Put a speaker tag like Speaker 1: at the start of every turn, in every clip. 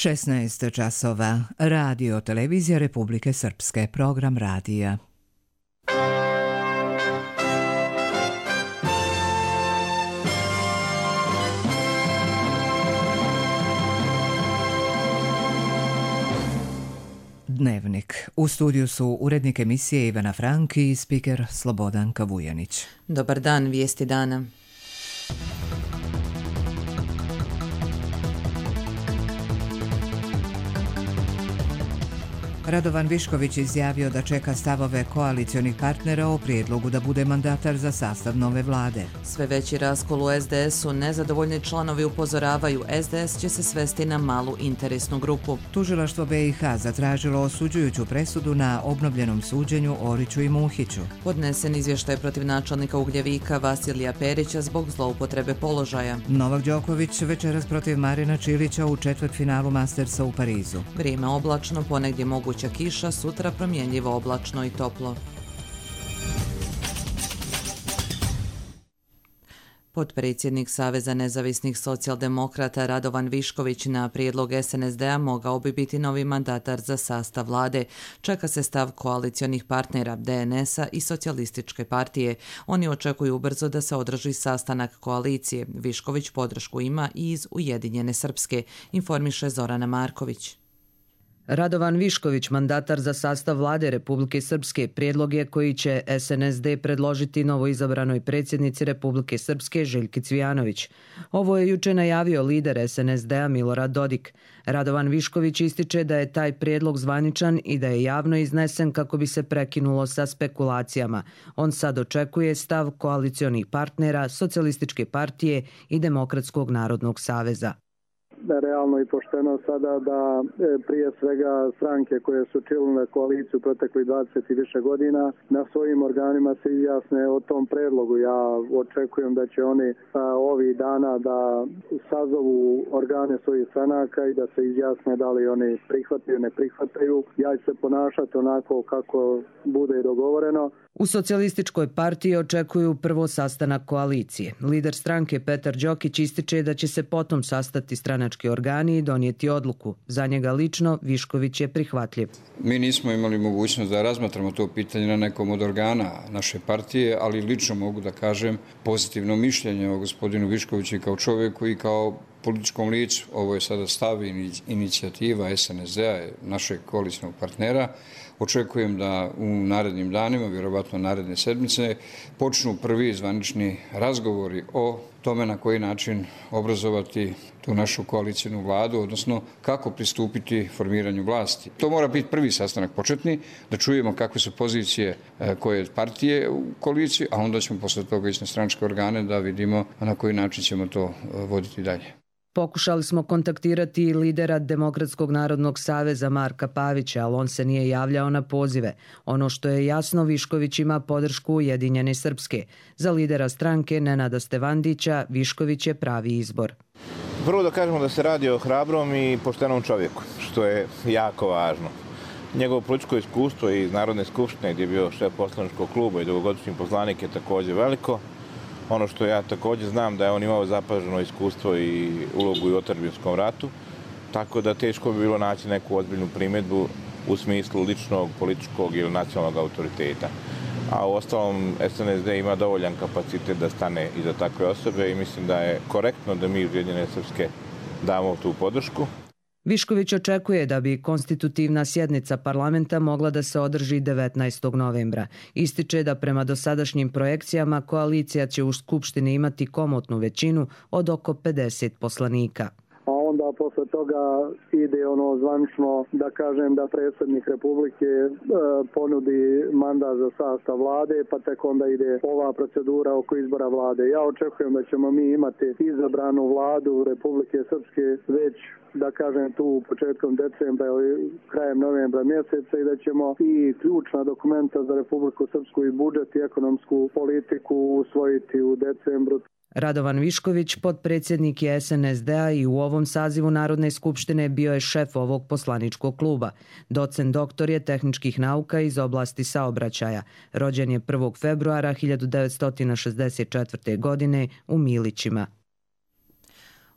Speaker 1: 16 časova. Radio Televizija Republike Srpske. Program radija. Dnevnik. U studiju su urednik emisije Ivana Franki i spiker Slobodan Kavujanić.
Speaker 2: Dobar dan, vijesti dana.
Speaker 1: Radovan Višković izjavio da čeka stavove koalicionih partnera o prijedlogu da bude mandatar za sastav nove vlade.
Speaker 2: Sve veći raskol u SDS-u, nezadovoljni članovi upozoravaju, SDS će se svesti na malu interesnu grupu.
Speaker 1: Tužilaštvo BiH zatražilo osuđujuću presudu na obnovljenom suđenju Oriću i Muhiću.
Speaker 2: Podnesen izvještaj protiv načelnika Ugljevika Vasilija Perića zbog zloupotrebe položaja.
Speaker 1: Novak Đoković večeras protiv Marina Čilića u četvrtfinalu Mastersa u Parizu.
Speaker 2: Vrijeme oblačno, ponegdje moguća kiša, sutra promjenjivo oblačno i toplo. Potpredsjednik Saveza nezavisnih socijaldemokrata Radovan Višković na prijedlog SNSD-a mogao bi biti novi mandatar za sastav vlade. Čeka se stav koalicionih partnera DNS-a i Socijalističke partije. Oni očekuju ubrzo da se održi sastanak koalicije. Višković podršku ima i iz Ujedinjene Srpske, informiše Zorana Marković.
Speaker 3: Radovan Višković, mandatar za sastav vlade Republike Srpske, prijedlog je koji će SNSD predložiti novoizabranoj predsjednici Republike Srpske Željki Cvijanović. Ovo je juče najavio lider SNSD-a Milorad Dodik. Radovan Višković ističe da je taj prijedlog zvaničan i da je javno iznesen kako bi se prekinulo sa spekulacijama. On sad očekuje stav koalicionih partnera, Socijalističke partije i Demokratskog narodnog saveza.
Speaker 4: Realno i pošteno sada da prije svega stranke koje su činile koaliciju proteklih 20 i više godina na svojim organima se izjasne o tom predlogu. Ja očekujem da će oni ovih dana da sazovu organe svojih stranaka i da se izjasne da li oni prihvataju, ne prihvataju. Ja ću se ponašati onako kako bude dogovoreno.
Speaker 3: U Socijalističkoj partiji očekuju prvo sastanak koalicije. Lider stranke Petar Đokić ističe da će se potom sastati stranački organi i donijeti odluku. Za njega lično Višković je prihvatljiv.
Speaker 5: Mi nismo imali mogućnost da razmatramo to pitanje na nekom od organa naše partije, ali lično mogu da kažem pozitivno mišljenje o gospodinu Viškoviću kao čovjeku i kao političkom licu. Ovo je sada stav i inicijativa SNSD-a, našeg koalicijnog partnera. Očekujem da u narednim danima, vjerovatno naredne sedmice, počnu prvi zvanični razgovori o tome na koji način obrazovati tu našu koalicijnu vladu, odnosno kako pristupiti formiranju vlasti. To mora biti prvi sastanak početni, da čujemo kakve su pozicije koje partije u koaliciji, a onda ćemo posle toga ići na stranačke organe da vidimo na koji način ćemo to voditi dalje.
Speaker 3: Pokušali smo kontaktirati i lidera Demokratskog narodnog saveza Marka Pavića, ali on se nije javljao na pozive. Ono što je jasno, Višković ima podršku Ujedinjene Srpske. Za lidera stranke Nenada Stevandića, Višković je pravi izbor.
Speaker 6: Prvo da kažemo da se radi o hrabrom i poštenom čovjeku, što je jako važno. Njegovo političko iskustvo iz Narodne skupštine, gdje je bio šef poslaničkog kluba i dugogodišnji poslanik, je također veliko. Ono što ja također znam da je on imao zapaženo iskustvo i ulogu i u otadžbinskom ratu, tako da teško bi bilo naći neku ozbiljnu primjedbu u smislu ličnog, političkog ili nacionalnog autoriteta. A u ostalom SNSD ima dovoljan kapacitet da stane iza takve osobe i mislim da je korektno da mi Ujedinjene Srpske damo tu podršku.
Speaker 3: Višković očekuje da bi konstitutivna sjednica parlamenta mogla da se održi 19. novembra. Ističe da prema dosadašnjim projekcijama koalicija će u Skupštini imati komotnu većinu od oko 50 poslanika.
Speaker 4: A onda posle toga ide ono zvanično da kažem da predsjednik Republike ponudi mandat za sastav vlade, pa tek onda ide ova procedura oko izbora vlade. Ja očekujem da ćemo mi imati izabranu vladu Republike Srpske već da kažem tu početkom decembra ili krajem novembra mjeseca i da ćemo i ključna dokumenta za Republiku Srpsku i budžet i ekonomsku politiku usvojiti u decembru.
Speaker 3: Radovan Višković, potpredsjednik je SNSD-a i u ovom sazivu Narodne skupštine bio je šef ovog poslaničkog kluba. Docent doktor je tehničkih nauka iz oblasti saobraćaja. Rođen je 1. februara 1964. godine u Milićima.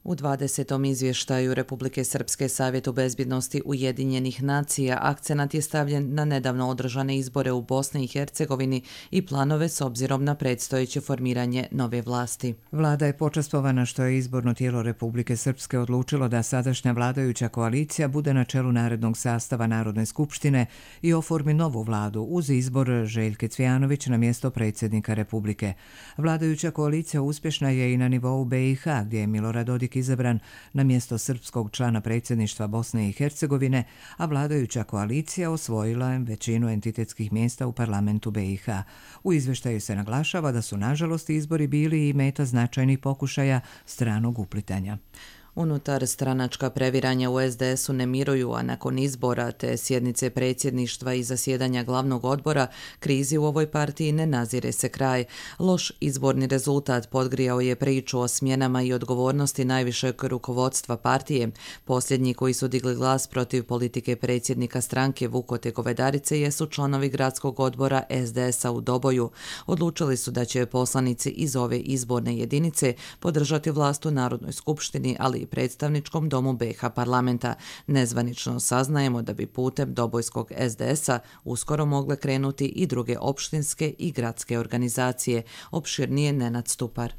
Speaker 2: U 20. izvještaju Republike Srpske Savjetu bezbjednosti Ujedinjenih nacija akcenat je stavljen na nedavno održane izbore u Bosni i Hercegovini i planove s obzirom na predstojeće formiranje nove vlasti.
Speaker 1: Vlada je počastvovana što je izborno tijelo Republike Srpske odlučilo da sadašnja vladajuća koalicija bude na čelu narednog sastava Narodne skupštine i oformi novu vladu uz izbor Željke Cvijanović na mjesto predsjednika Republike. Vladajuća koalicija uspješna je i na nivou BiH, gdje je Milorad Dodik izabran na mjesto srpskog člana predsjedništva Bosne i Hercegovine, a vladajuća koalicija osvojila većinu entitetskih mjesta u parlamentu BiH. U izvještaju se naglašava da su nažalost izbori bili i meta značajnih pokušaja stranog uplitanja.
Speaker 2: Unutar stranačka previranja u SDS-u ne miruju, a nakon izbora te sjednice predsjedništva i zasjedanja glavnog odbora, krizi u ovoj partiji ne nazire se kraj. Loš izborni rezultat podgrijao je priču o smjenama i odgovornosti najvišeg rukovodstva partije. Posljednji koji su digli glas protiv politike predsjednika stranke Vukote Govedarice jesu članovi gradskog odbora SDS-a u Doboju. Odlučili su da će poslanici iz ove izborne jedinice podržati vlast u Narodnoj skupštini, ali predstavničkom domu BiH parlamenta. Nezvanično saznajemo da bi putem dobojskog SDS-a uskoro mogle krenuti i druge opštinske i gradske organizacije. Opširnije Nenad Stupar.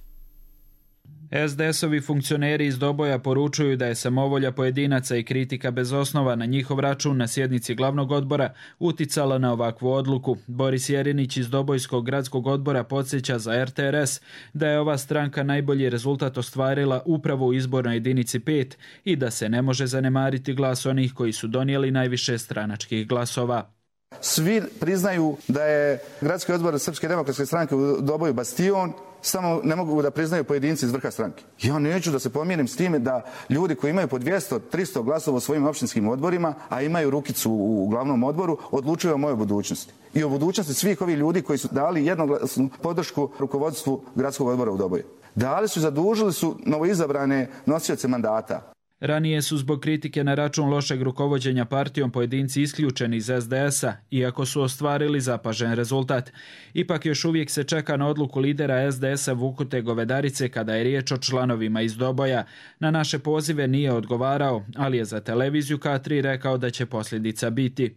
Speaker 7: SDS-ovi funkcioneri iz Doboja poručuju da je samovolja pojedinaca i kritika bez osnova na njihov račun na sjednici glavnog odbora uticala na ovakvu odluku. Boris Jerinić iz Dobojskog gradskog odbora podsjeća za RTRS da je ova stranka najbolji rezultat ostvarila upravo u izbornoj jedinici 5 i da se ne može zanemariti glas onih koji su donijeli najviše stranačkih glasova.
Speaker 8: Svi priznaju da je gradski odbor Srpske demokratske stranke u Doboju bastion, samo ne mogu da priznaju pojedinci iz vrha stranke. Ja neću da se pomirim s time da ljudi koji imaju po 200-300 glasova u svojim opštinskim odborima, a imaju rukicu u glavnom odboru, odlučuju o mojoj budućnosti. I o budućnosti svih ovih ljudi koji su dali jednoglasnu podršku rukovodstvu gradskog odbora u Doboju. Dali su i zadužili su novoizabrane nosioce mandata.
Speaker 7: Ranije su zbog kritike na račun lošeg rukovođenja partijom pojedinci isključeni iz SDS-a, iako su ostvarili zapažen rezultat. Ipak još uvijek se čeka na odluku lidera SDS-a Vukote Govedarice kada je riječ o članovima iz Doboja. Na naše pozive nije odgovarao, ali je za televiziju K3 rekao da će posljedica biti.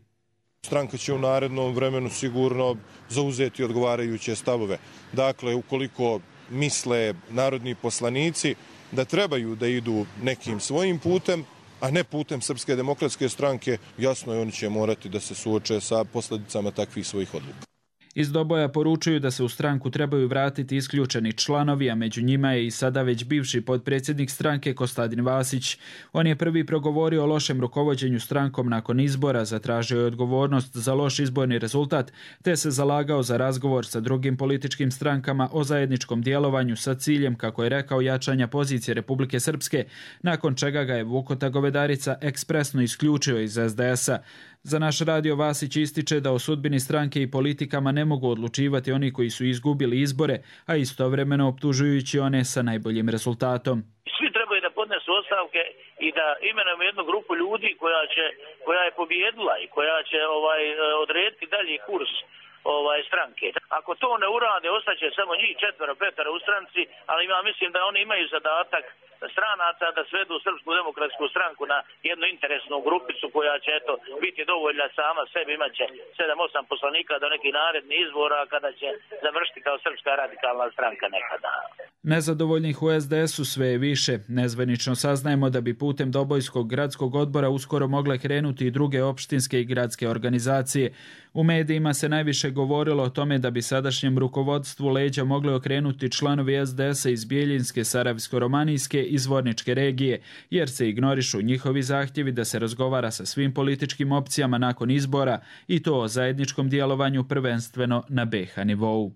Speaker 9: Stranka će u narednom vremenu sigurno zauzeti odgovarajuće stavove. Dakle, ukoliko misle narodni poslanici da trebaju da idu nekim svojim putem, a ne putem Srpske demokratske stranke, jasno je oni će morati da se suoče sa posljedicama takvih svojih odluka.
Speaker 7: Iz Doboja poručuju da se u stranku trebaju vratiti isključeni članovi, a među njima je i sada već bivši potpredsjednik stranke Kostadin Vasić. On je prvi progovorio o lošem rukovođenju strankom nakon izbora, zatražio je odgovornost za loš izborni rezultat, te se zalagao za razgovor sa drugim političkim strankama o zajedničkom djelovanju sa ciljem, kako je rekao, jačanja pozicije Republike Srpske, nakon čega ga je Vukota Govedarica ekspresno isključio iz SDS-a. Za naš radio Vasić ističe da o sudbini stranke i politikama ne mogu odlučivati oni koji su izgubili izbore, a istovremeno optužujući one sa najboljim rezultatom.
Speaker 10: Svi trebaju da podnesu ostavke i da imenujemo jednu grupu ljudi koja je pobjedila i koja će odrediti dalji kurs stranke. Ako to ne urade, ostaće samo njih 4-5 u stranci, ali ja mislim da oni imaju zadatak stranaca da svedu Srpsku demokratsku stranku na jednu interesnu grupicu koja će biti dovoljna sama sebi, imat će 7-8 poslanika do nekih narednih izbora kada će završiti kao Srpska radikalna stranka nekada.
Speaker 7: Nezadovoljnih u SDS-u sve je više. Nezvanično saznajemo da bi putem Dobojskog gradskog odbora uskoro mogle krenuti i druge opštinske i gradske organizacije. U medijima se najviše govorilo o tome da bi sadašnjem rukovodstvu leđa mogli okrenuti članovi SDS-a iz Bijeljinske, Sarajevsko-romanijske i Zvorničke regije, jer se ignorišu njihovi zahtjevi da se razgovara sa svim političkim opcijama nakon izbora i to o zajedničkom djelovanju prvenstveno na BiH nivou.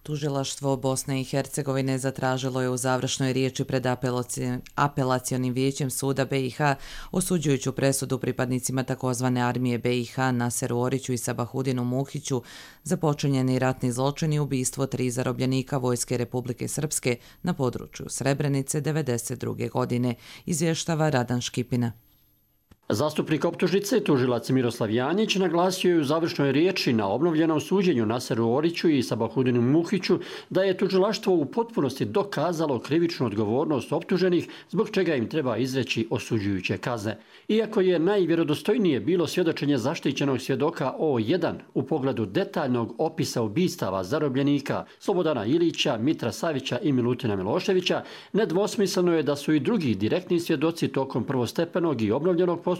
Speaker 2: Tužilaštvo Bosne i Hercegovine zatražilo je u završnoj riječi pred apelacionim vijećem suda BiH osuđujuću presudu pripadnicima takozvane armije BiH Naseru Oriću i Sabahudinu Muhiću za počinjeni ratni zločin i ubistvo 3 zarobljenika Vojske Republike Srpske na području Srebrenice 1992. godine, izvještava Radan Škipina.
Speaker 11: Zastupnik optužnice, tužilac Miroslav Janjić, naglasio je u završnoj riječi na obnovljenom suđenju Naseru Oriću i Sabahudinu Muhiću da je tužilaštvo u potpunosti dokazalo krivičnu odgovornost optuženih, zbog čega im treba izreći osuđujuće kazne. Iako je najvjerodostojnije bilo svjedočenje zaštićenog svjedoka O1 u pogledu detaljnog opisa ubistava zarobljenika Slobodana Ilića, Mitra Savića i Milutina Miloševića, nedvosmisleno je da su i drugi direktni svjedoci tokom prvostepenog i obnovljenog postupka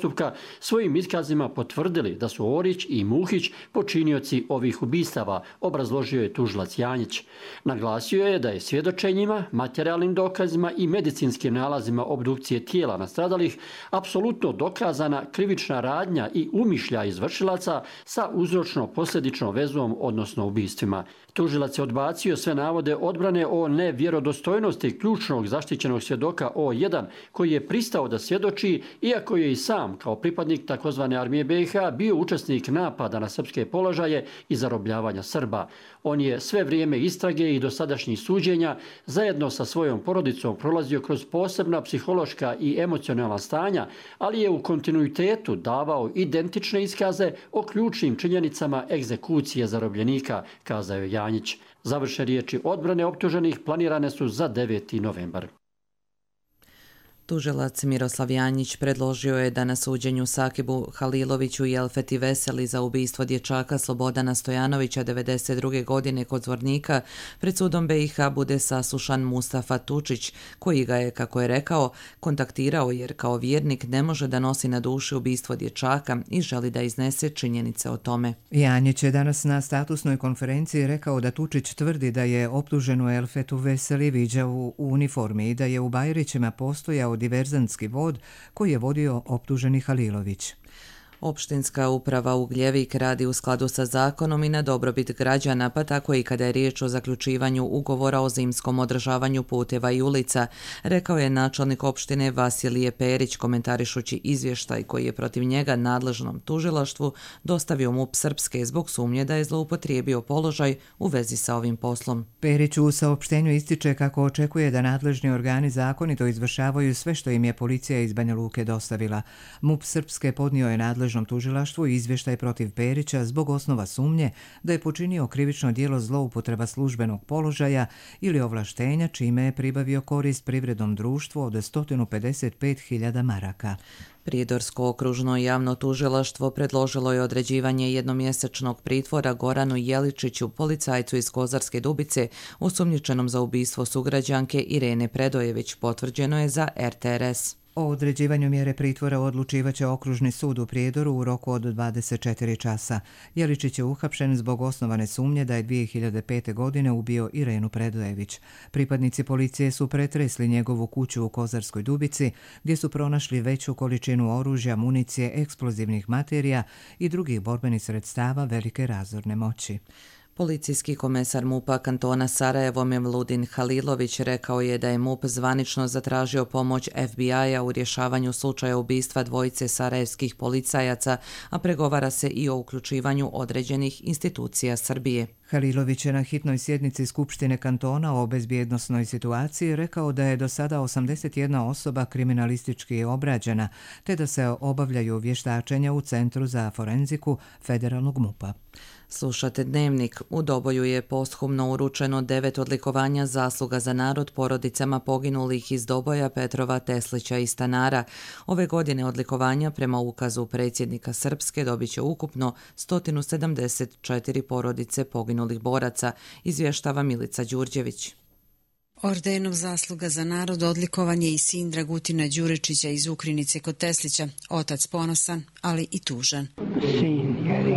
Speaker 11: svojim iskazima potvrdili da su Orić i Muhić počinioci ovih ubistava, obrazložio je tužilac Janjić. Naglasio je da je svjedočenjima, materijalnim dokazima i medicinskim nalazima obdukcije tijela nastradalih apsolutno dokazana krivična radnja i umišljaj izvršilaca sa uzročno-posljedičnom vezom, odnosno ubistvima. Tužilac je odbacio sve navode odbrane o nevjerodostojnosti ključnog zaštićenog svjedoka O1 koji je pristao da svjedoči, iako je i sam kao pripadnik tzv. Armije BiH bio učesnik napada na srpske položaje i zarobljavanja Srba. On je sve vrijeme istrage i dosadašnjih suđenja zajedno sa svojom porodicom prolazio kroz posebna psihološka i emocionalna stanja, ali je u kontinuitetu davao identične iskaze o ključnim činjenicama egzekucije zarobljenika, kazao je Janjić. Završne riječi odbrane optuženih planirane su za 9. novembar.
Speaker 2: Tužilac Miroslav Janjić predložio je da na suđenju Sakibu Haliloviću i Elfeti Veseli za ubistvo dječaka Slobodana Stojanovića 1992. godine kod Zvornika pred sudom BiH bude saslušan Mustafa Tučić, koji ga je, kako je rekao, kontaktirao jer kao vjernik ne može da nosi na duši ubistvo dječaka i želi da iznese činjenice o tome.
Speaker 1: Janjić je danas na statusnoj konferenciji rekao da Tučić tvrdi da je optuženu Elfetu Veseli viđao u uniformi i da je u Bajrićima postojao diverzantski vod koji je vodio optuženi Halilović.
Speaker 2: Opštinska uprava Ugljevik radi u skladu sa zakonom i na dobrobit građana, pa tako i kada je riječ o zaključivanju ugovora o zimskom održavanju puteva i ulica, rekao je načelnik opštine Vasilije Perić komentarišući izvještaj koji je protiv njega nadležnom tužilaštvu dostavio MUP Srpske zbog sumnje da je zloupotrijebio položaj u vezi sa ovim poslom.
Speaker 1: Perić u saopštenju ističe kako očekuje da nadležni organi zakonito izvršavaju sve što im je policija iz Banja Luke dostavila. MUP Srpske podnio je nadležnom tužilaštvu izvještaj protiv Perića zbog osnova sumnje da je počinio krivično djelo zloupotreba službenog položaja ili ovlaštenja čime je pribavio korist privrednom društvu od 155.000 maraka.
Speaker 2: Prijedorsko okružno javno tužilaštvo predložilo je određivanje jednomjesečnog pritvora Goranu Jeličiću, policajcu iz Kozarske Dubice, osumnjičenom za ubistvo sugrađanke Irene Predojević, potvrđeno je za RTRS.
Speaker 1: O određivanju mjere pritvora odlučivaće okružni sud u Prijedoru u roku od 24 časa. Jeličić je uhapšen zbog osnovane sumnje da je 2005. godine ubio Irenu Predojević. Pripadnici policije su pretresli njegovu kuću u Kozarskoj Dubici, gdje su pronašli veću količinu oružja, municije, eksplozivnih materija i drugih borbenih sredstava velike razorne moći.
Speaker 2: Policijski komesar MUP-a kantona Sarajevo Mevludin Halilović rekao je da je MUP zvanično zatražio pomoć FBI-a u rješavanju slučaja ubistva dvojice sarajevskih policajaca, a pregovara se i o uključivanju određenih institucija Srbije.
Speaker 1: Halilović je na hitnoj sjednici Skupštine kantona o bezbjednosnoj situaciji rekao da je do sada 81 osoba kriminalistički obrađena, te da se obavljaju vještačenja u Centru za forenziku federalnog MUP-a.
Speaker 2: Slušate Dnevnik. U Doboju je posthumno uručeno 9 odlikovanja zasluga za narod porodicama poginulih iz Doboja, Petrova, Teslića i Stanara. Ove godine odlikovanja prema ukazu predsjednika Srpske dobit će ukupno 174 porodice poginulih boraca, izvještava Milica Đurđević.
Speaker 12: Ordenom zasluga za narod odlikovan je i sin Dragutina Đurečića iz Ukrinice kod Teslića, otac ponosan, ali i tužan.
Speaker 13: Sin, jer je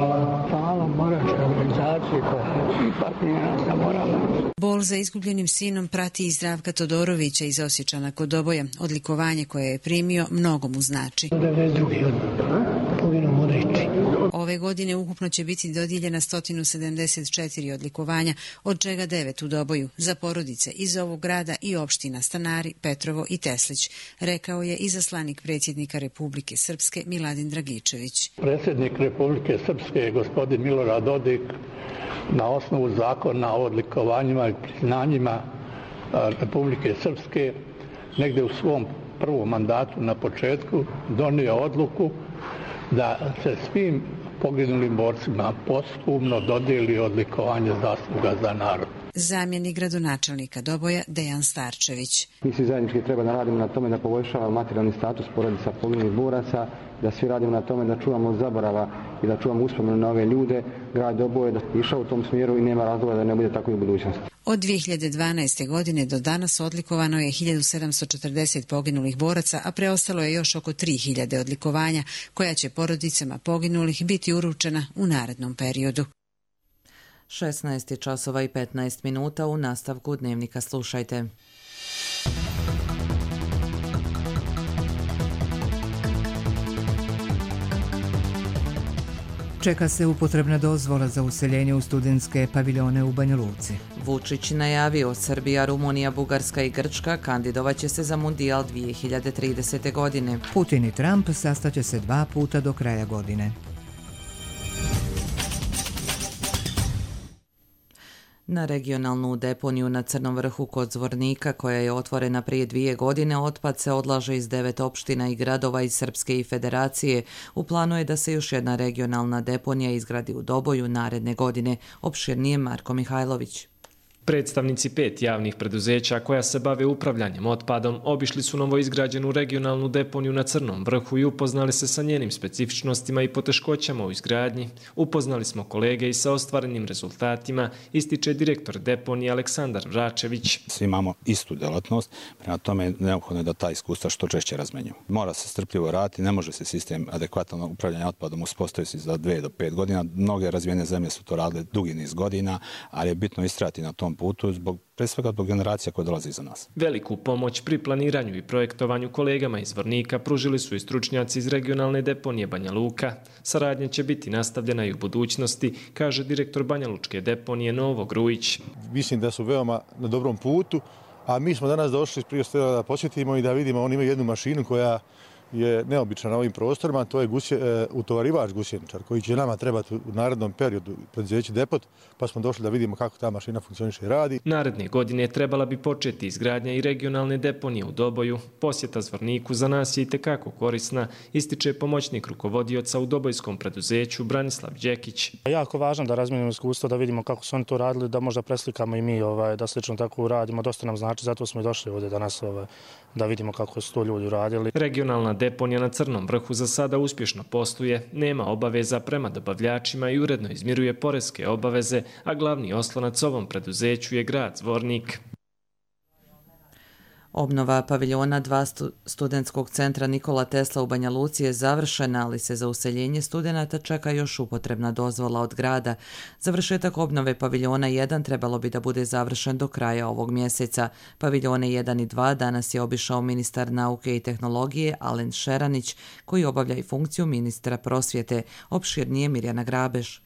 Speaker 13: hvala moračke organizacije koja ipak nije nas zaboravila.
Speaker 12: Bol za izgubljenim sinom prati i Zdravka Todorovića iz Osječana kod Doboja. Odlikovanje koje je primio mnogo mu znači.
Speaker 13: 92. poginuo Modrić.
Speaker 12: Ove godine ukupno će biti dodijeljena 174 odlikovanja, od čega 9 u Doboju, za porodice iz ovog grada i opština Stanari, Petrovo i Teslić, rekao je izaslanik predsjednika Republike Srpske Miladin Dragičević.
Speaker 14: Predsjednik Republike Srpske, gospodin Milorad Dodik, na osnovu zakona o odlikovanjima i priznanjima Republike Srpske, negdje u svom prvom mandatu na početku donio odluku da se svim poginulim borcima posthumno dodijeli odlikovanje zasluga za narod.
Speaker 12: Zamjenik gradonačelnika Doboja Dejan Starčević.
Speaker 15: Mi svi zajednički treba da radimo na tome da poboljšava materijalni status porodica poginulih boraca, da svi radimo na tome da čuvamo zaborava i da čuvamo uspomenu na ove ljude. Grad Doboje je išao u tom smjeru i nema razloga da ne bude tako i u budućnosti.
Speaker 12: Od 2012. godine do danas odlikovano je 1740 poginulih boraca, a preostalo je još oko 3000 odlikovanja koja će porodicama poginulih biti uručena u narednom periodu.
Speaker 2: 16 časova i 15 minuta, u nastavku dnevnika slušajte.
Speaker 1: Čeka se upotrebna dozvola za useljenje u studentske paviljone u Banja Luci.
Speaker 2: Vučić najavio Srbija, Rumunija, Bugarska i Grčka kandidovaće se za Mundijal 2030. godine.
Speaker 1: Putin i Trump sastaće se 2 puta do kraja godine.
Speaker 2: Na regionalnu deponiju na Crnom vrhu kod Zvornika, koja je otvorena prije 2 godine, otpad se odlaže iz 9 opština i gradova iz Srpske i Federacije. U planu je da se još jedna regionalna deponija izgradi u Doboju naredne godine. Opširnije Marko Mihajlović.
Speaker 16: Predstavnici 5 javnih preduzeća koja se bave upravljanjem otpadom obišli su novoizgrađenu regionalnu deponiju na Crnom vrhu i upoznali se sa njenim specifičnostima i poteškoćama u izgradnji. Upoznali smo kolege i sa ostvarenim rezultatima, ističe direktor deponije Aleksandar Vračević.
Speaker 17: Svi imamo istu delatnost, prema tome neophodno je da ta iskustva što češće razmenjuju. Mora se strpljivo raditi, ne može se sistem adekvatno upravljanja otpadom uspostaviti za 2 do 5 godina. Mnoge razvijene zemlje su to radile dugi niz godina, ali je bitno istrajati na tom putu pre svega zbog generacija koje dolazi iza nas.
Speaker 16: Veliku pomoć pri planiranju i projektovanju kolegama iz Zvornika pružili su i stručnjaci iz regionalne deponije Banja Luka. Saradnja će biti nastavljena i u budućnosti, kaže direktor Banja Lučke deponije Novo Grujić.
Speaker 18: Mislim da su veoma na dobrom putu, a mi smo danas došli prije svega da posjetimo i da vidimo, oni imaju jednu mašinu koja je neobična na ovim prostorima, to je utovarivač gusjeničar koji će nama trebati u narednom periodu preduzeće depot, pa smo došli da vidimo kako ta mašina funkcioniše i radi.
Speaker 16: Naredne godine trebala bi početi izgradnja i regionalne deponije u Doboju. Posjeta Zvorniku za nas je itekako korisna, ističe pomoćnik rukovodioca u dobojskom preduzeću Branislav Đekić.
Speaker 19: Jako važno da razmijenimo iskustvo, da vidimo kako su oni to radili, da možda preslikamo i mi da slično tako uradimo. Dosta nam znači, zato smo i došli ovdje danas da vidimo kako su to ljudi uradili.
Speaker 16: Regionalna deponija na Crnom vrhu za sada uspješno posluje, nema obaveza prema dobavljačima i uredno izmiruje poreske obaveze, a glavni oslonac ovom preduzeću je grad Zvornik.
Speaker 2: Obnova paviljona 2 studentskog centra Nikola Tesla u Banja Luci je završena, ali se za useljenje studenata čeka još upotrebna dozvola od grada. Završetak obnove paviljona 1 trebalo bi da bude završen do kraja ovog mjeseca. Paviljone 1 i 2 danas je obišao ministar nauke i tehnologije Alen Šeranić, koji obavlja i funkciju ministra prosvjete. Opširnije Mirjana Grabeš.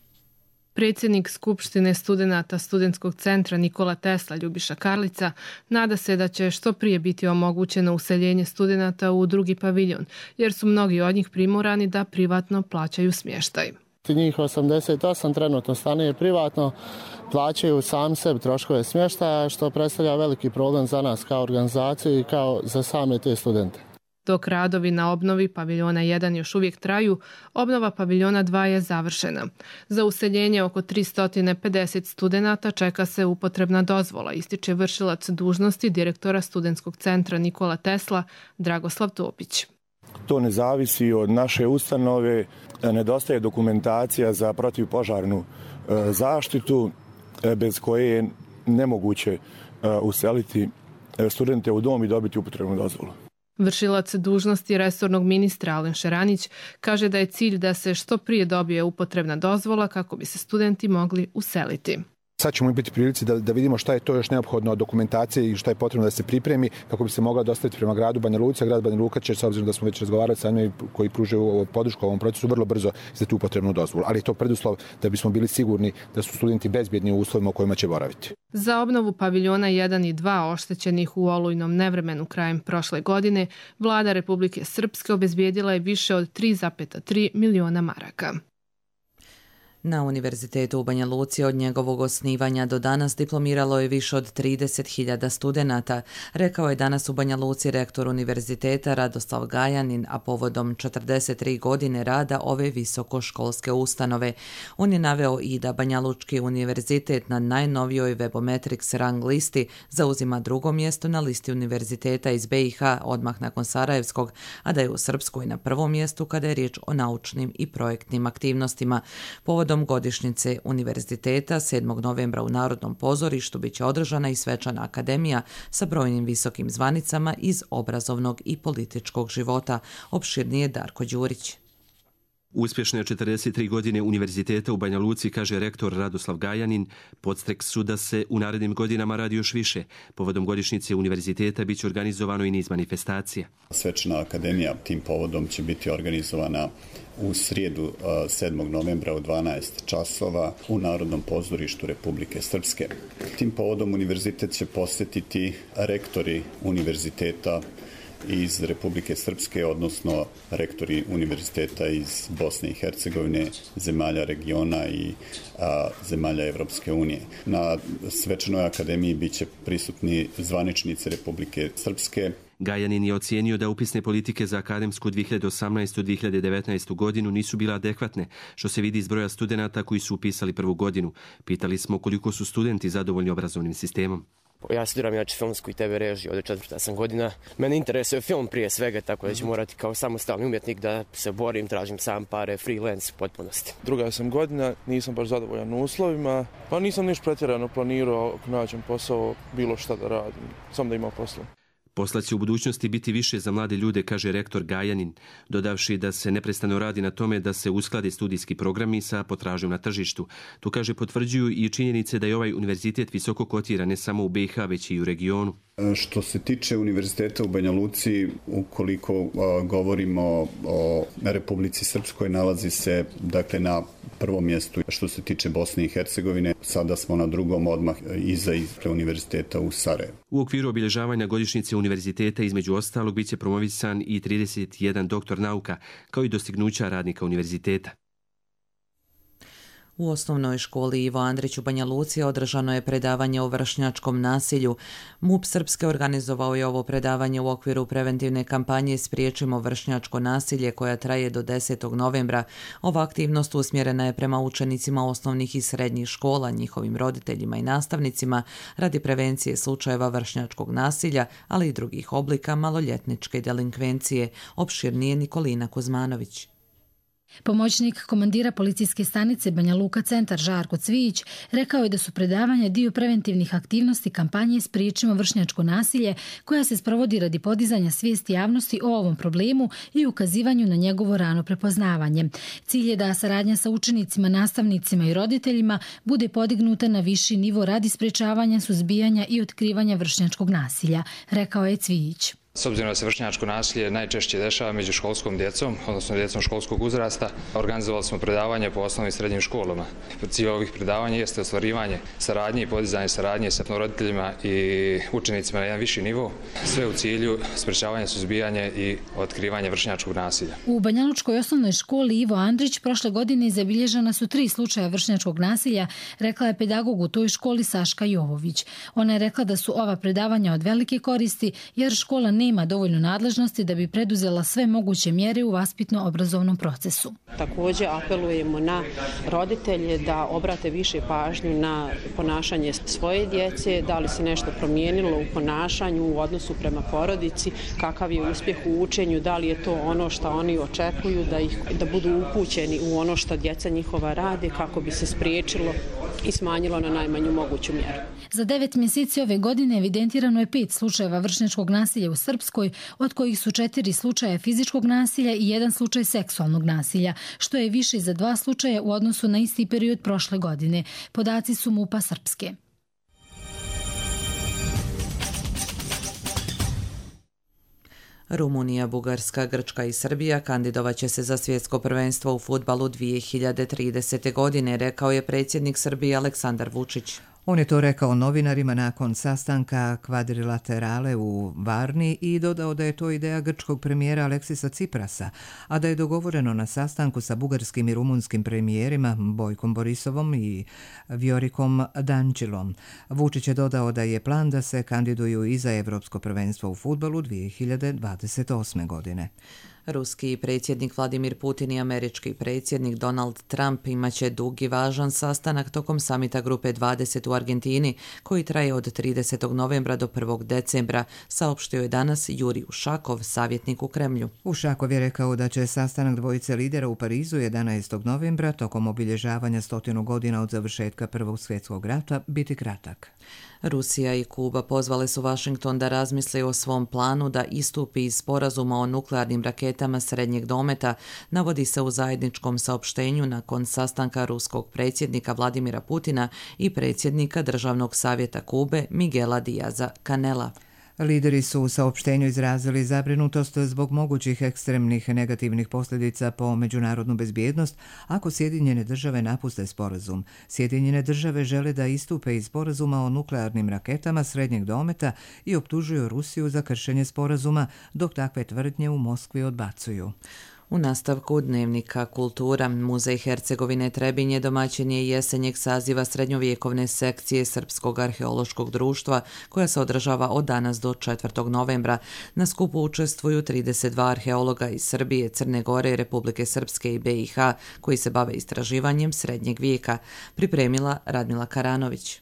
Speaker 20: Predsjednik Skupštine studenata Studentskog centra Nikola Tesla Ljubiša Karlica nada se da će što prije biti omogućeno useljenje studenata u drugi paviljon, jer su mnogi od njih primorani da privatno plaćaju smještaj.
Speaker 21: Njih 88 trenutno stanuje privatno, plaćaju sam sebi troškove smještaja, što predstavlja veliki problem za nas kao organizaciju i kao za same te studente.
Speaker 20: Dok radovi na obnovi paviljona 1 još uvijek traju, obnova paviljona 2 je završena. Za useljenje oko 350 studenata čeka se upotrebna dozvola, ističe vršilac dužnosti direktora Studentskog centra Nikola Tesla Dragoslav Topić.
Speaker 22: To ne zavisi od naše ustanove, nedostaje dokumentacija za protivpožarnu zaštitu, bez koje je nemoguće useliti studente u dom i dobiti upotrebnu dozvolu.
Speaker 20: Vršilac dužnosti resornog ministra Alen Šeranić kaže da je cilj da se što prije dobije upotrebna dozvola kako bi se studenti mogli useliti.
Speaker 23: Sad ćemo biti prilici da vidimo šta je to još neophodno od dokumentacije i šta je potrebno da se pripremi kako bi se mogla dostaviti prema gradu Banja Luka. Grad Banja Luka će, s obzirom da smo već razgovarali sa njima koji pružaju podršku ovom procesu, vrlo brzo izdati upotrebnu dozvolu. Ali je to preduslov da bismo bili sigurni da su studenti bezbjedni u uslovima u kojima će boraviti.
Speaker 20: Za obnovu paviljona 1 i 2 oštećenih u olujnom nevremenu krajem prošle godine, vlada Republike Srpske obezbijedila je više od 3,3 miliona maraka.
Speaker 2: Na Univerzitetu u Banja Luci od njegovog osnivanja do danas diplomiralo je više od 30.000 studenata, rekao je danas u Banja Luci rektor univerziteta Radoslav Gajanin, a povodom 43 godine rada ove visokoškolske ustanove. On je naveo i da Banja Lučki univerzitet na najnovijoj Webometrics rang listi zauzima drugo mjesto na listi univerziteta iz BiH odmah nakon Sarajevskog, a da je u Srpskoj na prvom mjestu kada je riječ o naučnim i projektnim aktivnostima. Povodom godišnjice univerziteta 7. novembra u Narodnom pozorištu biće održana i svečana akademija sa brojnim visokim zvanicama iz obrazovnog i političkog života. Opširnije Darko Đurić.
Speaker 4: Uspješne 43 godine univerziteta u Banja Luci, kaže rektor Radoslav Gajanin, podstrek su da se u narednim godinama radi još više. Povodom godišnjice univerziteta biće organizovano i niz manifestacija.
Speaker 5: Svečana akademija tim povodom će biti organizovana u srijedu 7. novembra u 12 časova u Narodnom pozorištu Republike Srpske. Tim povodom univerzitet će posjetiti rektori univerziteta iz Republike Srpske, odnosno rektori univerziteta iz Bosne i Hercegovine, zemalja regiona i zemalja Evropske unije. Na svečanoj akademiji biće prisutni zvaničnici Republike Srpske.
Speaker 4: Gajanin je ocijenio da upisne politike za akademsku 2018-2019 godinu nisu bile adekvatne, što se vidi iz broja studenata koji su upisali prvu godinu. Pitali smo koliko su studenti zadovoljni obrazovnim sistemom.
Speaker 6: Ja studiram filmsku i TV režiju, ovdje 4. sam godina. Mene interesuje film prije svega, tako da ću morati kao samostalni umjetnik da se borim, tražim sam pare, freelance u potpunosti.
Speaker 24: 2. sam godina, nisam baš zadovoljan uslovima, pa nisam niš pretjerano planirao ako nađem posao, bilo šta da radim, samo da imam posla.
Speaker 4: Posla će u budućnosti biti više za mlade ljude, kaže rektor Gajanin, dodavši da se neprestano radi na tome da se usklade studijski programi sa potražnjom na tržištu. Tu, kaže, potvrđuju i činjenice da je ovaj univerzitet visoko kotira ne samo u BiH, već i u regionu.
Speaker 5: Što se tiče univerziteta u Banja Luci, ukoliko govorimo o Republici Srpskoj, nalazi se dakle na prvom mjestu. Što se tiče Bosne i Hercegovine, sada smo na drugom odmah iza univerziteta u Sarajevu.
Speaker 4: U okviru obilježavanja godišnjice univerziteta između ostalog biće promovisan i 31 doktor nauka, kao i dostignuća radnika univerziteta.
Speaker 2: U osnovnoj školi Ivo Andrić u Banja Luci održano je predavanje o vršnjačkom nasilju. MUP Srpske organizovao je ovo predavanje u okviru preventivne kampanje Spriječimo vršnjačko nasilje koja traje do 10. novembra. Ova aktivnost usmjerena je prema učenicima osnovnih i srednjih škola, njihovim roditeljima i nastavnicima radi prevencije slučajeva vršnjačkog nasilja, ali i drugih oblika maloljetničke delinkvencije. Opširnije Nikolina Kuzmanović.
Speaker 25: Pomoćnik komandira policijske stanice Banja Luka centar Žarko Cvijić rekao je da su predavanja dio preventivnih aktivnosti kampanje Spriječimo vršnjačko nasilje koja se sprovodi radi podizanja svijesti javnosti o ovom problemu i ukazivanju na njegovo rano prepoznavanje. Cilj je da saradnja sa učenicima, nastavnicima i roditeljima bude podignuta na viši nivo radi sprječavanja, suzbijanja i otkrivanja vršnjačkog nasilja, rekao je Cvijić.
Speaker 26: S obzirom da se vršnjačko nasilje najčešće dešava među školskom djecom, odnosno djecom školskog uzrasta, organizovali smo predavanje po osnovnim i srednjim školama. Cilj ovih predavanja jeste ostvarivanje saradnje i podizanje saradnje sa roditeljima i učenicima na jedan viši nivo, sve u cilju sprečavanja, suzbijanja i otkrivanja vršnjačkog nasilja.
Speaker 25: U Banjalučkoj osnovnoj školi Ivo Andrić prošle godine zabilježena su 3 slučaja vršnjačkog nasilja, rekla je pedagog u toj školi Saška Jovović. Ona je rekla da su ova predavanja od velike koristi jer škola nema dovoljno nadležnosti da bi preduzela sve moguće mjere u vaspitno-obrazovnom procesu.
Speaker 27: Također apelujemo na roditelje da obrate više pažnju na ponašanje svoje djece, da li se nešto promijenilo u ponašanju, u odnosu prema porodici, kakav je uspjeh u učenju, da li je to ono što oni očekuju, da budu upućeni u ono što djeca njihova rade kako bi se spriječilo i smanjilo na najmanju moguću mjeru.
Speaker 25: Za 9 mjeseci ove godine evidentirano je 5 slučajeva vršnjačkog nasilja u Srpskoj, od kojih su 4 slučaja fizičkog nasilja i 1 slučaj seksualnog nasilja, što je više za 2 slučaja u odnosu na isti period prošle godine. Podaci su MUP-a Srpske.
Speaker 2: Rumunija, Bugarska, Grčka i Srbija kandidovaće se za svjetsko prvenstvo u fudbalu 2030. godine, rekao je predsjednik Srbije Aleksandar Vučić.
Speaker 1: On je to rekao novinarima nakon sastanka kvadrilaterale u Varni i dodao da je to ideja grčkog premijera Aleksisa Ciprasa, a da je dogovoreno na sastanku sa bugarskim i rumunskim premijerima Bojkom Borisovom i Vjorikom Dančilom. Vučić je dodao da je plan da se kandiduju i za Evropsko prvenstvo u fudbalu 2028. godine.
Speaker 2: Ruski predsjednik Vladimir Putin i američki predsjednik Donald Trump imaće dug i važan sastanak tokom samita Grupe 20 u Argentini, koji traje od 30. novembra do 1. decembra, saopštio je danas Jurij Ušakov, savjetnik u Kremlju.
Speaker 1: Ušakov je rekao da će sastanak dvojice lidera u Parizu 11. novembra tokom obilježavanja 100 godina od završetka Prvog svjetskog rata biti kratak.
Speaker 2: Rusija i Kuba pozvale su Washington da razmisli o svom planu da istupi iz sporazuma o nuklearnim raketama srednjeg dometa, navodi se u zajedničkom saopštenju nakon sastanka ruskog predsjednika Vladimira Putina i predsjednika Državnog savjeta Kube Miguela Diaza Canela.
Speaker 1: Lideri su u saopštenju izrazili zabrinutost zbog mogućih ekstremnih negativnih posljedica po međunarodnu bezbjednost ako Sjedinjene države napuste sporazum. Sjedinjene države žele da istupe iz sporazuma o nuklearnim raketama srednjeg dometa i optužuju Rusiju za kršenje sporazuma, dok takve tvrdnje u Moskvi odbacuju.
Speaker 2: U nastavku dnevnika Kultura, Muzej Hercegovine Trebinje domaćin je jesenjeg saziva srednjovjekovne sekcije Srpskog arheološkog društva, koja se održava od danas do 4. novembra. Na skupu učestvuju 32 arheologa iz Srbije, Crne Gore, Republike Srpske i BiH, koji se bave istraživanjem srednjeg vijeka. Pripremila Radmila Karanović.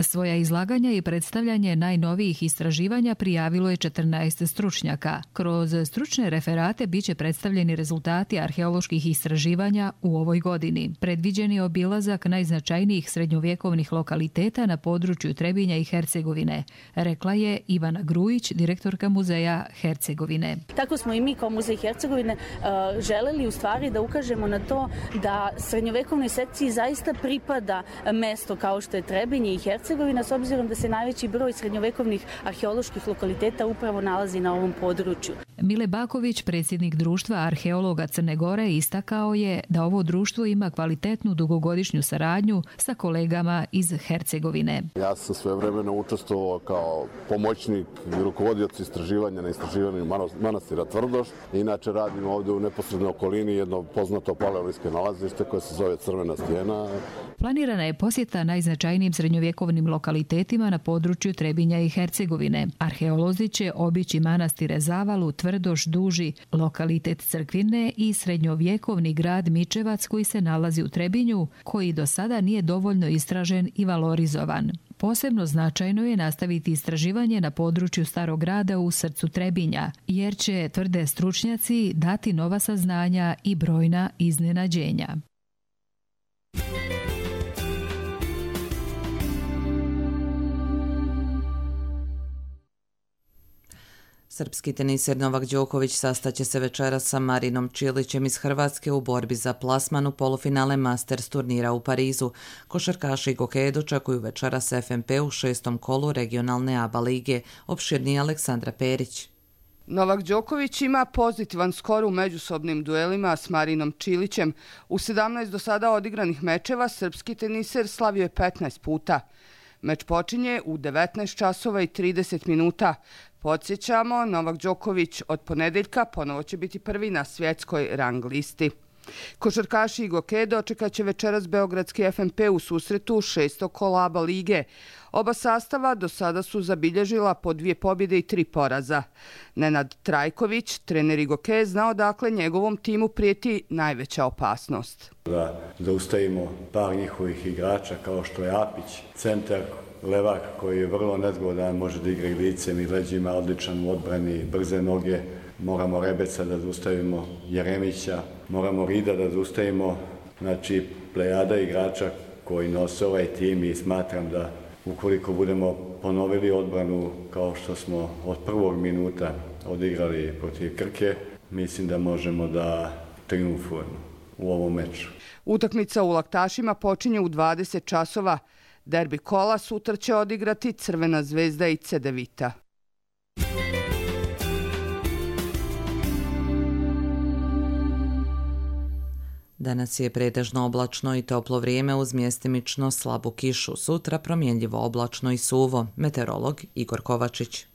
Speaker 3: Svoja izlaganja i predstavljanje najnovijih istraživanja prijavilo je 14 stručnjaka. Kroz stručne referate biće predstavljeni rezultati arheoloških istraživanja u ovoj godini. Predviđen je obilazak najznačajnijih srednjovjekovnih lokaliteta na području Trebinja i Hercegovine, rekla je Ivana Grujić, direktorka Muzeja Hercegovine.
Speaker 7: Tako smo i mi kao Muzej Hercegovine želeli u stvari da ukažemo na to da srednjovjekovnoj sekciji zaista pripada mesto kao što je Trebinje i Hercegovina, s obzirom da se najveći broj srednjovekovnih arheoloških lokaliteta upravo nalazi na ovom području.
Speaker 3: Mile Baković, predsjednik društva arheologa Crne Gore, istakao je da ovo društvo ima kvalitetnu dugogodišnju saradnju sa kolegama iz Hercegovine.
Speaker 8: Ja sam svojevremeno učestvovao kao pomoćnik i rukovodioc istraživanja na istraživanju manastira Tvrdoš. Inače radim ovdje u neposrednoj okolini jedno poznato paleolisko nalazište koje se zove Crvena stijena.
Speaker 3: Planirana je posjeta najznačajnijim srednjovjekovnim lokalitetima na području Trebinja i Hercegovine. Arheolozi će obići manastire Zavalu, Tvrdoš, Duži, lokalitet Crkvine i srednjovjekovni grad Mičevac koji se nalazi u Trebinju, koji do sada nije dovoljno istražen i valorizovan. Posebno značajno je nastaviti istraživanje na području Starog grada u srcu Trebinja, jer će, tvrde stručnjaci, dati nova saznanja i brojna iznenađenja.
Speaker 2: Srpski teniser Novak Đoković sastaće se večeras sa Marinom Čilićem iz Hrvatske u borbi za plasman u polufinale Masters turnira u Parizu. Košarkaši i gokeje dočekuju večeras FNP u 6. kolu regionalne ABA lige. Opširnije Aleksandra Perić.
Speaker 9: Novak Đoković ima pozitivan skor u međusobnim duelima s Marinom Čilićem. U 17 do sada odigranih mečeva srpski teniser slavio je 15 puta. Meč počinje u 19 časova i 30 minuta. Podsjećamo, Novak Đoković od ponedeljka ponovo će biti prvi na svjetskoj rang listi. Košarkaši i gokeje dočekat će večeras beogradski FNP u susretu 6. kola ABA lige. Oba sastava do sada su zabilježila po 2 pobjede i 3 poraza. Nenad Trajković, trener i gokeje, znao dakle njegovom timu prijeti najveća opasnost.
Speaker 10: Da zaustavimo par njihovih igrača kao što je Apić, centar, levak koji je vrlo nezgodan, može da igra i licem i leđima, odličan u odbrani, brze noge. Moramo Rebeca da zaustavimo, Jeremića, moramo Rida da zaustavimo, znači plejada igrača koji nose ovaj tim i smatram da ukoliko budemo ponovili odbranu kao što smo od prvog minuta odigrali protiv Krke, mislim da možemo da triumfujemo u ovom meču.
Speaker 9: Utakmica u Laktašima počinje u 20 časova. Derbi kola sutra će odigrati Crvena zvezda i Cedevita.
Speaker 2: Danas je pretežno oblačno i toplo vrijeme uz mjestimično slabu kišu. Sutra promjenljivo oblačno i suvo. Meteorolog Igor Kovačić.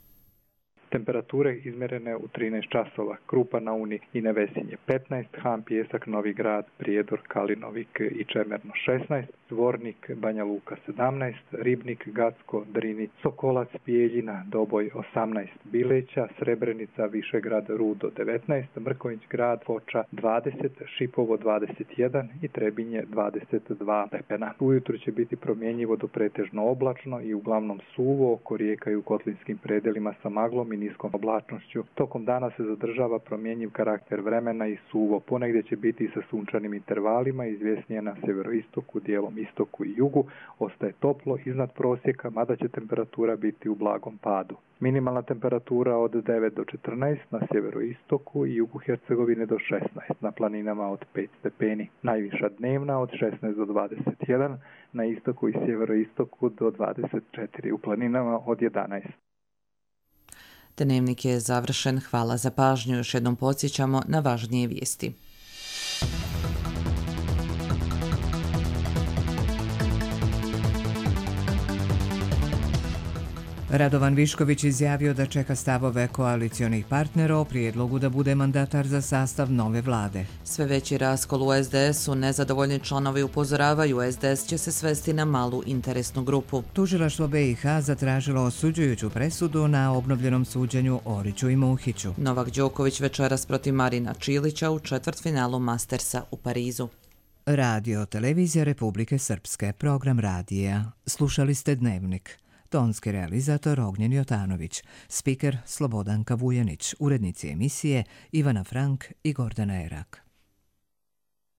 Speaker 11: Temperature izmjerene u 13 časova. Krupa na Uni i Nevesinje 15, Han, Pijesak, Novi Grad, Prijedor, Kalinovik i Čemerno 16, Zvornik, Banja Luka 17, Ribnik, Gacko, Drini, Sokolac, Bijeljina, Doboj 18, Bileća, Srebrenica, Višegrad, Rudo 19, Mrkonjić Grad, Foča 20, Šipovo 21 i Trebinje 22 stepena. Ujutro će biti promjenjivo do pretežno oblačno i uglavnom suvo, oko rijeka i u kotlinskim predelima sa maglom i niskom oblačnošću. Tokom dana se zadržava promjenjiv karakter vremena i suvo. Ponegdje će biti sa sunčanim intervalima, izvjesnije na severoistoku, dijelom istoku i jugu. Ostaje toplo iznad prosjeka, mada će temperatura biti u blagom padu. Minimalna temperatura od 9 do 14 na sjeveroistoku i jugu Hercegovine do 16, na planinama od 5 stepeni. Najviša dnevna od 16 do 21, na istoku i sjeveroistoku do 24, u planinama od 11.
Speaker 2: Dnevnik je završen. Hvala za pažnju. Još jednom podsjećamo na važnije vijesti.
Speaker 1: Radovan Višković izjavio da čeka stavove koalicionih partnera o prijedlogu da bude mandatar za sastav nove vlade.
Speaker 2: Sve veći raskol u SDS-u, nezadovoljni članovi upozoravaju, SDS će se svesti na malu interesnu grupu.
Speaker 1: Tužilaštvo BiH zatražilo osuđujuću presudu na obnovljenom suđenju Oriću i Muhiću.
Speaker 2: Novak Đoković večeras protiv Marina Čilića u četvrtfinalu Mastersa u Parizu.
Speaker 1: Radio Televizija Republike Srpske, program radija. Slušali ste Dnevnik. Tonski realizator Ognjen Jotanović, spiker Slobodanka Vujanić, urednici emisije Ivana Frank i Gordana Erak.